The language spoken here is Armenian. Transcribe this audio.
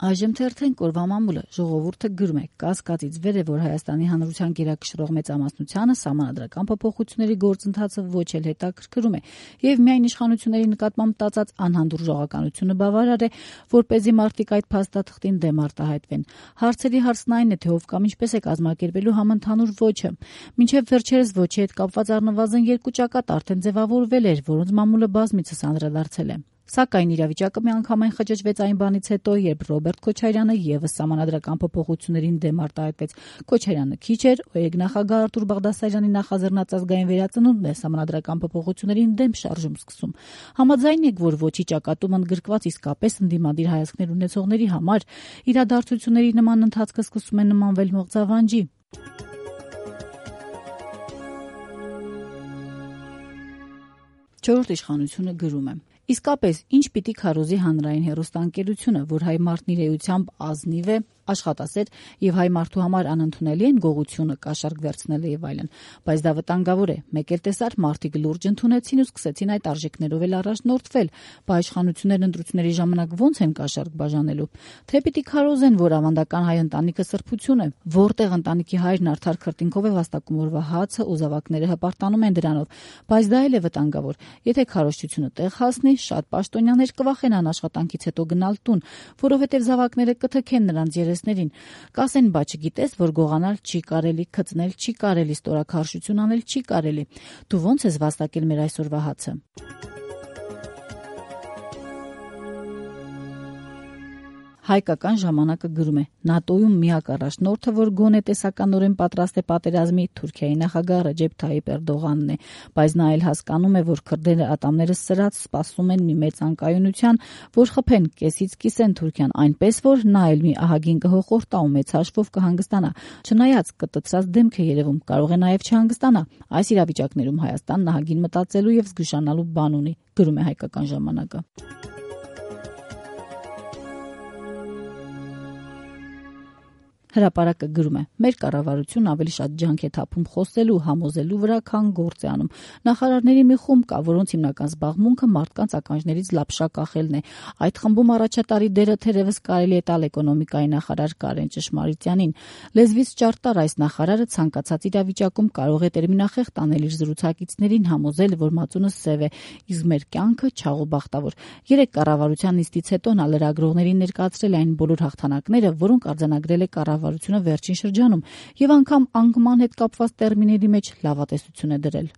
Այժմ թերթենք օրվա մամուլը ժողովուրդը գրում է կասկածից վեր է, որ Հայաստանի Հանրության գերակշռող մեծամասնությանը սահմանադրական փոփոխությունների գործընթացը ոչ էլ հետաքրքրում է եւ միայն իշխանությունների նկատմամբ տածած անհանդուրժողականությունը բավարար է, որպեսզի մարդիկ այդ փաստաթղթին դեմ արտահայտվեն։ Հարցերի հարցն այն է, թե ով կամ ինչպես է կազմակերպելու համընդհանուր ոչը։ Մինչեւ վերջերս ոչի հետ կապված առնվազն 2 ճակատ արդեն ձևավորվել էր, որոնց մամուլը բազմիցս անդրադարձել է։ Սակայն իրավիճակը միանգամայն խճճվեց այն բանից հետո, երբ Ռոբերտ Քոչարյանը եւս սահմանադրական փոփոխություններին դեմ արտահայտվեց։ Քոչարյանը քիչ էր, նախագահ Արտուր Բաղդասարյանի նախաձեռնած ազգային վերածնունդն է սահմանադրական փոփոխություններին դեմ շարժում սկսում։ Համաձայն եք, որ ոչի ճակատում ընդգրկված իսկապես ընդդիմադիր հայացքներ ունեցողների համար իրադարձությունների նման ընթացքը սկսում է նմանվել մղձավանջի։ Չորրորդ իշխանությունը գրում է. Իսկապես, ինչ պիտի քարոզի հանրային հեռուստաընկերությունը, որ հայ մարդն իր էությամբ ազնիվ է, աշխատասեր եւ հայ մարդու համար անընդունելի են գողությունը, կաշառք վերցնելը եւ այլն, բայց դա վտանգավոր է։ Մեկ էլ տեսար մարդիկ լուրջ ընդունեցին ու սկսեցին այդ արժեքներով էլ առաջնորդվել։ Բա իշխանություններն ընտրությունների ժամանակ ո՞նց են կաշառք բաժանելու։ Թե պիտի քարոզեն, որ ավանդական հայ ընտանիքը սրբություն է, որտեղ ընտանիքի հայրն արդար քրտինքով է վաստակում օրվա հացը ու զավակները հպարտանում են դրանով, բայց դա էլ է վտանգավոր։ Եթե քարոզչությունը տեղ հասնի, շատ պաշտոնյաներ կվախենան աշխատանքից հետո գնալ տուն, որովհետև զավակները կթքեն նրանց երեսներին։ Կասեն, բա չգիտես, որ գողանալ չի կարելի, քծնել չի կարելի, ստորաքարշություն անել չի կարելի։ Դու ո՞նց ես վաստակել մեր այսօրվա հացը։ Հայկական ժամանակը գրում է. ՆԱՏՕ-ում միակ առաջնորդը, որ գոնե տեսականորեն պատրաստ է պատերազմի, Թուրքիայի նախագահ Ռեջեփ Թայիփ Էրդողանն է, բայց նա էլ հասկանում է, որ քրդերը ատամները սրած սպասում են մի մեծ անկայունության, որ խփեն կեսից կիսեն Թուրքիան, այնպես որ նա էլ մի ահագին կհոխորտա ու մեծ հաշվով կհանգստանա։ Չնայած կտցրած դեմք է երևում, կարող է նաև չհանգստանա։ Այս իրավիճակներում Հայաստանն ահագին մտածելու եւ զգուշանալու բան ունի, գրում է Հայկական ժամանակը։ Հրապարակը գրում է. մեր կառավարությունն ավելի շատ ջանք է թափում խոսելու, համոզելու վրա, քան գործ է անում։ Նախարարների մի խումբ կա, որոնց հիմնական զբաղմունքը մարդկանց ականջներից լապշա կախելն է։ Այդ խմբում առաջատարի դերը թերևս կարելի է տալ էկոնոմիկայի նախարար Կարեն Ճշմարիտյանին։ Լեզվից ճարտար այս նախարարը ցանկացած իրավիճակում կարող է տերմինախեղ տանել իր զրուցակիցներին, համոզել, որ մածունը սև է, իսկ մեր կյանքը չաղուբախտավոր։ Երեք կառավարության նիստից հետո նա լրագրողներին ներկայացրել այն բոլոր հաղթանակները, որոնք արձանագրել է կառավարությունը վերջին շրջանում, եւ անգամ անկման հետ կապված տերմինների մեջ լավատեսություն է դրել։